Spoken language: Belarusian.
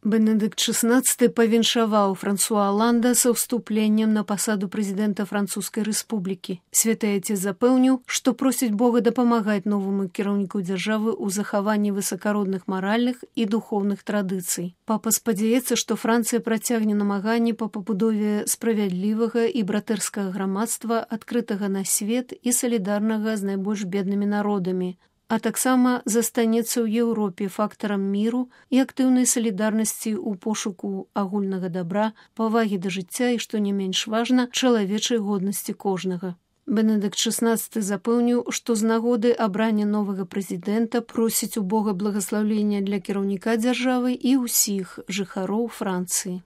Бенедыкт XVI павіншаваў Франсуа Аланда са ўступленнем на пасаду прэзідэнта Французскай рэспублікі. Святы Отец запэўніў, што просіць Бога дапамагаць новаму кіраўніку дзяржавы ў захаванні высакародных маральных і духоўных традыцый. Папа спадзяецца, што Францыя працягне намаганні па пабудове справядлівага і братэрскага грамадства, адкрытага на свет і салідарнага з найбольш беднымі народамі, а таксама застанецца ў Еўропе фактарам міру і актыўнай салідарнасці ў пошуку агульнага дабра, павагі да жыцця і, што не менш важна, чалавечай годнасці кожнага. Бенедыкт XVI запэўніў, што з нагоды абрання новага прэзідэнта просіць у Бога благаслаўлення для кіраўніка дзяржавы і ўсіх жыхароў Францыі.